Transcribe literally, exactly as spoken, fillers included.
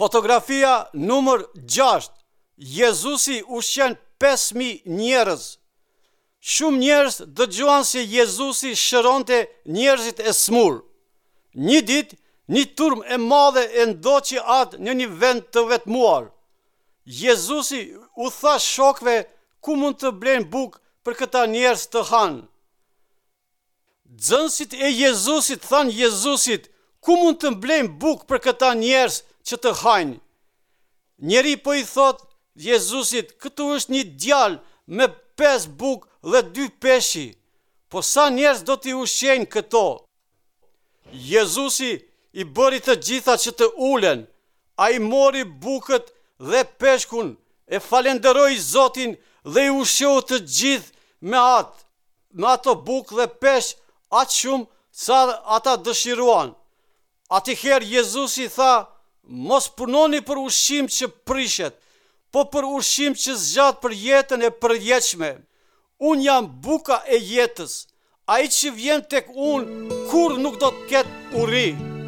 Fotografia numër gjashtë. Jezusi ushqen pesë mijë njerëz. Shumë njerëz dëgjuan se Jezusi shëronte njerëzit e smur. Një ditë, një turmë e madhe e ndoqi atë në një vend të vetmuar. Jezusi u tha shokëve ku mund të blejnë bukë për këta njerëz të hanë. Nxënësit e Jezusit thanë Jezusit, ku mund të blejmë bukë për këta njerëz që të hajnë? Njëri po i thot Jezusit, këtu është një djalë me pesë bukë dhe dy peshqi, po sa njerëz do t'i ushqejnë këto? Jezusi i bëri të gjitha që të ulen. Ai mori bukët dhe peshkun, e falenderoi Zotin dhe i ushqeu të gjithë me atë, me ato bukë dhe peshq aq shumë sa ata dëshiruan. Atëherë Jezusi tha, mos punoni për ushqim që prishet, po për ushqim që zgjat për jetën e përjetshme. Unë jam buka e jetës. Ai që vjen tek unë kurrë nuk do të ketë uri.